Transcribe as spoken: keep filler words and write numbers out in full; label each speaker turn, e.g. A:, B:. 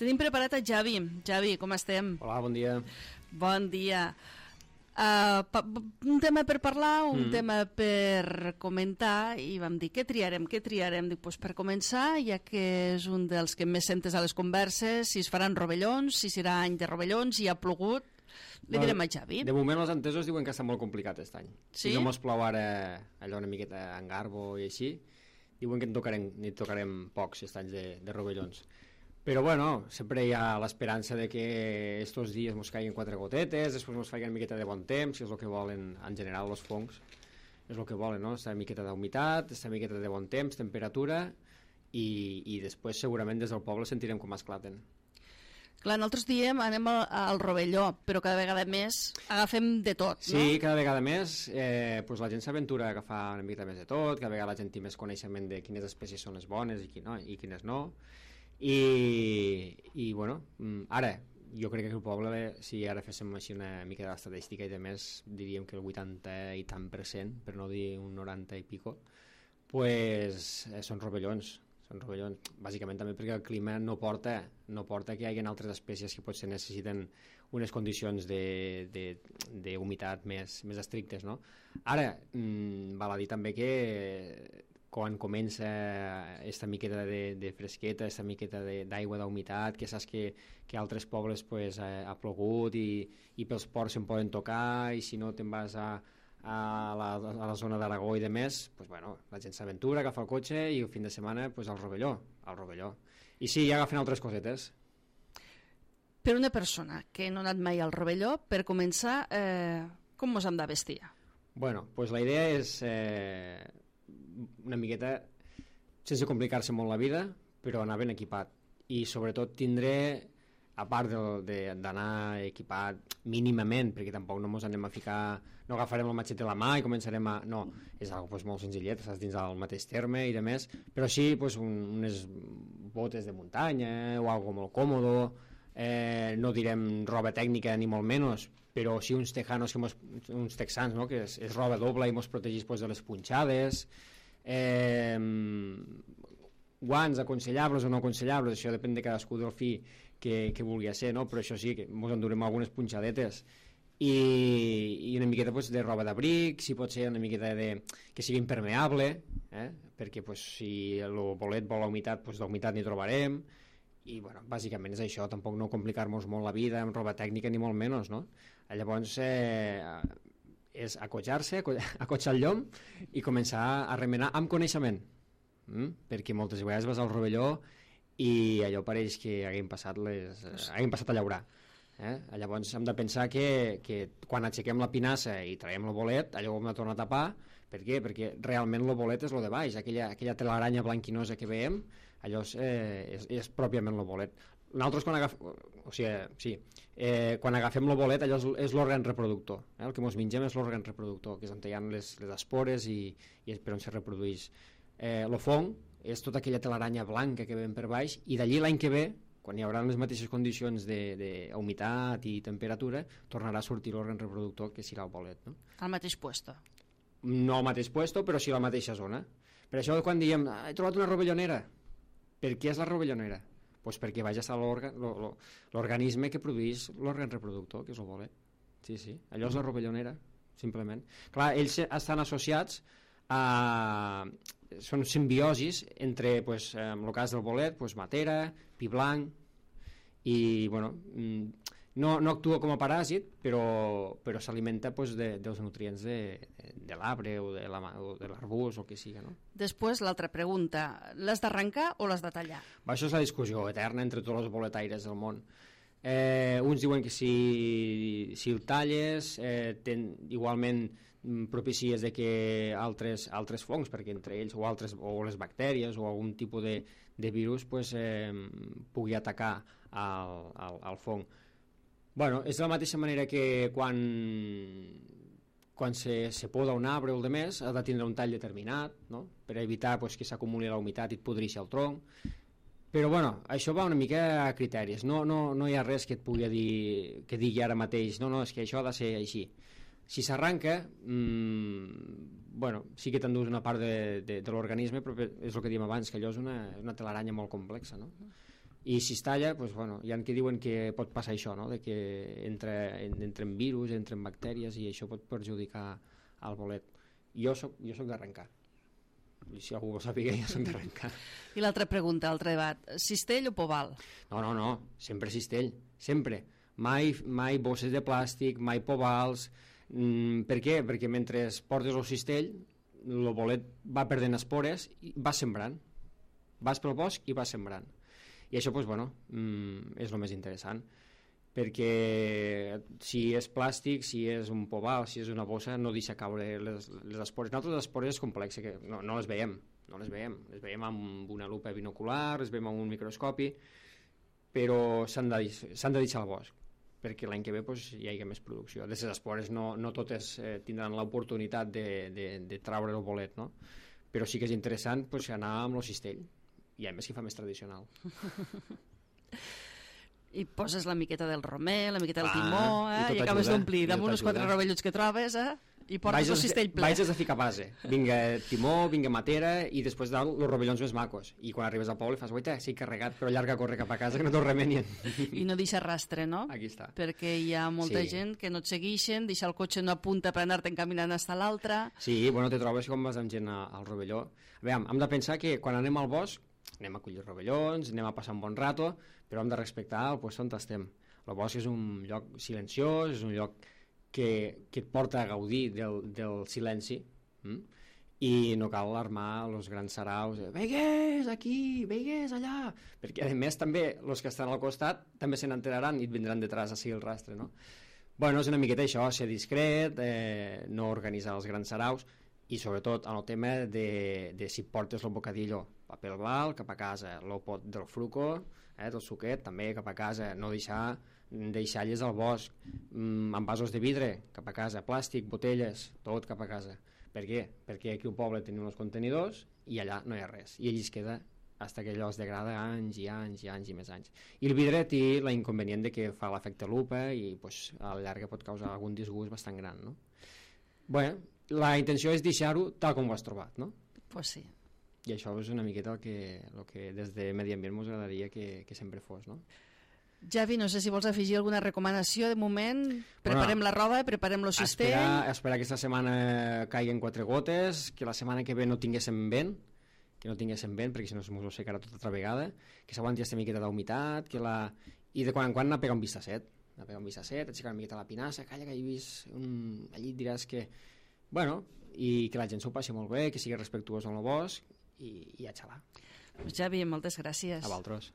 A: Tenim preparat a Javi. Javi, com estem?
B: Hola, bon dia.
A: Bon dia. Uh, pa, un tema per parlar, un mm. tema per comentar, i vam dir, què triarem, què triarem? Dic, pues per començar, ja que és un dels que més sentes a les converses, si es faran rovellons, si serà any de rovellons, si ha plogut, li no, direm a Javi.
B: De moment els entesos diuen que està molt complicat aquest any.
A: Sí?
B: Si no mos plou ara allò una miqueta en garbo i així, diuen que en tocarem, ni tocarem pocs aquest any de, de rovellons. Però bueno, sempre hi ha l'esperança de que estos dies mos caiguen quatre gotetes, després mos faiguen una miqueta de bon temps, que és el que volen en general els fongs, és el que volen, no? Esta miqueta d'humitat, esta miqueta de bon temps, temperatura, i, i després segurament des del poble sentirem com esclaten.
A: Clar, nosaltres diem anem al, al rovelló, però cada vegada més agafem de tot, no?
B: Sí, cada vegada més eh, pues la gent s'aventura a agafar una mica més de tot, cada vegada la gent té més coneixement de quines espècies són les bones i, qui no, i quines no. I, i bueno, ara jo crec que el poble, si ara féssim així una mica d'estadística i de més, diríem que el vuitanta i tant per cent, per no dir un noranta i pico, pues eh, són rovellons, són rovellons, bàsicament també perquè el clima no porta, no porta que hi hagi altres espècies que potser necessiten unes condicions d'humitat més, més estrictes, no? Ara, mmm, val a dir també que quan comença esta miqueta de, de fresqueta, esta miqueta d'aigua, d'humitat, que saps que, que altres pobles pues, ha, ha plogut i, i pels ports se'n poden tocar, i si no te'n vas a, a, la, a la zona d'Aragó i de més, pues, bueno, la gent s'aventura, agafa el cotxe i el fin de setmana pues, al rovelló, al rovelló. I sí, ja agafen altres cosetes.
A: Per una persona que no ha anat mai al rovelló, per començar, eh, com mos hem de vestir?
B: Bueno, pues la idea és... Eh, una miqueta sense complicar-se molt la vida, però anar ben equipat, i sobretot tindré, a part d'anar equipat mínimament, perquè tampoc no ens anem a ficar, no agafarem el matxet de la mà i començarem a... no, és algo pues, molt senzillet, estàs dins del mateix terme i de més, però sí pues, un, unes botes de muntanya o algo molt còmodo, eh, no direm roba tècnica ni molt menys, però sí uns tejanos, que mos, uns texans, no? Que és, és roba doble i mos protegís pues, de les punxades, eh, guants aconsellables o no aconsellables, això depèn de cadascú del fi que, que vulgui ser, no? Però això sí, que mos endurem algunes punxadetes i, i una miqueta pues, de roba d'abric, si pot ser una miqueta de, que sigui impermeable, eh? Perquè pues, si el bolet vol la humitat, pues, d'humitat n'hi trobarem, i bueno, bàsicament és això, tampoc no complicar-nos molt la vida amb roba tècnica ni molt menys, no? Llavors eh, és acotxar-se, acotxar el llom i començar a remenar amb coneixement, mm? Perquè moltes vegades vas al rovelló i allò pareix que haguem passat, les, eh, haguem passat a llaurar, eh? Llavors hem de pensar que, que quan aixequem la pinassa i traiem el bolet, allò ho hem de tornar a tapar. Per què? Perquè realment el bolet és el de baix, aquella, aquella telaranya blanquinosa que veiem, allò és, eh, és, és pròpiament el bolet. Nosaltres quan agafem, o sigui, sí, eh, quan agafem el bolet, allò és, és l'òrgan reproductor, eh? El que ens mengem és l'òrgan reproductor, que és on hi ha les, les espores i, i és per on se reprodueix. Eh, el fong és tota aquella telaranya blanca que veiem per baix, i d'allí l'any que ve, quan hi haurà les mateixes condicions d'humitat i temperatura, tornarà a sortir l'òrgan reproductor, que serà el bolet, no?
A: Al mateix puesto.
B: No al mateix puesto, però sí a la mateixa zona. Per això quan diem, ah, he trobat una rovellonera. Per què és la rovellonera? Pues perquè vaig estar l'organisme que produeix l'òrgan reproductor, que és el bolet. Sí, sí, allò és la rovellonera, simplement. Clar, ells estan associats a... són simbiosis entre, pues, en el cas del bolet, pues, matera, pi blanc, i, bueno, no, no actua com a paràsit, però, però s'alimenta pues, de, dels nutrients de, de, de l'arbre o de l'arbust o el que siga, no?
A: Després, l'altra pregunta, l'has d'arrencar o l'has de tallar?
B: Va, això és la discussió eterna entre tots els boletaires del món. Eh, uns diuen que si, si el talles eh, ten, igualment propicies de que altres, altres fongs, perquè entre ells o, altres, o les bactèries o algun tipus de, de virus pues, eh, pugui atacar al, al, al fong. Bueno, és de la mateixa manera que quan, quan se, se poda un arbre o el de més, ha de tindre un tall determinat, no? Per evitar pues, que s'acumuli la humitat i et podreixi el tronc. Però bueno, això va una mica a criteris, no, no, no hi ha res que et pugui dir, que digui ara mateix, no, no, és que això ha de ser així. Si s'arranca, mmm, bueno, sí que t'endús una part de, de, de l'organisme, però és el que diem abans, que allò és una, una telaranya molt complexa, no? I si es talla, doncs, bueno, hi ha qui diuen que pot passar això, no? De que entra, entren virus, entren bactèries i això pot perjudicar al bolet. Jo soc, jo soc d'arrencar. I si algú ho sàpiga, jo soc d'arrencar.
A: I l'altra pregunta, l'altre debat, cistell o poval?
B: No, no, no, sempre cistell, sempre. Mai, mai bosses de plàstic, mai povals. Mm, per què? Perquè mentre portes el cistell, el bolet va perdent espores i va sembrant. Vas pel bosc i vas sembrant. I això, doncs, bueno, mm, és el més interessant, perquè si és plàstic, si és un poval, si és una bossa, no deixa caure les, les espores. Nosaltres les espores és complex, que no, no les veiem, no les veiem, les veiem amb una lupa binocular, les veiem amb un microscopi, però s'han de, s'han de deixar al bosc, perquè l'any que ve doncs, hi hagi més producció. De les espores no, no totes eh, tindran l'oportunitat de, de, de traure el bolet, no? Però sí que és interessant doncs, anar amb el cistell, i a més que fa més tradicional.
A: I poses la miqueta del romer, la miqueta del
B: ah,
A: timó, eh? I, i acabes d'omplir damunt uns quatre rovellots que trobes, eh? I portes el cistell ple.
B: Vaig a ficar base. Vinga timó, vinga matera, i després dalt els rovellons més macos. I quan arribes al poble fas, guaita, sí, carregat, però llarga a córrer cap a casa, que no te'l remenien.
A: I no deixa rastre, no?
B: Aquí està.
A: Perquè hi ha molta sí. gent que no et segueixen, deixa el cotxe en una punta per anar-te'n caminant fins a l'altra.
B: Sí, bueno, te trobes com vas amb gent al rovelló. A veure, hem de pensar que quan anem al bosc, anem a collir rovellons, anem a passar un bon rato, però hem de respectar el lloc on estem. El bosc és un lloc silenciós, és un lloc que, que et porta a gaudir del, del silenci, hm? I no cal alarmar els grans saraus, veigues aquí, veigues allà, perquè a més també els que estan al costat també se n'enteraran i et vindran detrás a seguir el rastre, no? Bueno, és una miqueta això, ser discret, eh, no organitzar els grans saraus, i sobretot en el tema de, de si portes el bocadillo, paper blau cap a casa, el pot del fruco, eh, del suquet, també cap a casa, no deixar deixalles al bosc, mm, amb vasos de vidre cap a casa, plàstic, botelles, tot cap a casa. Per què? Perquè aquí al poble tenim uns contenidors i allà no hi ha res, i allí es queda fins que allò es degrada anys i anys i anys i més anys. I el vidre té la inconvenient de que fa l'efecte lupa i pues, a la llarga pot causar algun disgust bastant gran, no? Bé, la intenció és deixar-ho tal com ho has trobat, no?
A: Pues sí.
B: I això és una miqueta el que, el que des de Medi Ambient ens agradaria que, que sempre fos, no?
A: Javi, no sé si vols afegir alguna recomanació de moment. Preparem bueno, la roba, preparem el cistell.
B: Esperar, esperar que aquesta setmana caiguen quatre gotes, que la setmana que ve no tinguéssim vent, que no tinguéssim vent, perquè si no s'ho secarà tota altra vegada, que s'aguanti aquesta miqueta d'humitat, que la... i de quan en quan anar a pegar un vistacet, anar a pegar un vistacet, aixecar una miqueta la pinassa, calla que he vist un... allí et diràs que... Bueno, i que la gent s'ho passi molt bé, que sigui respectuós amb el bosc, i, i a xalar.
A: Pues Javi, moltes gràcies.
B: A vosaltres.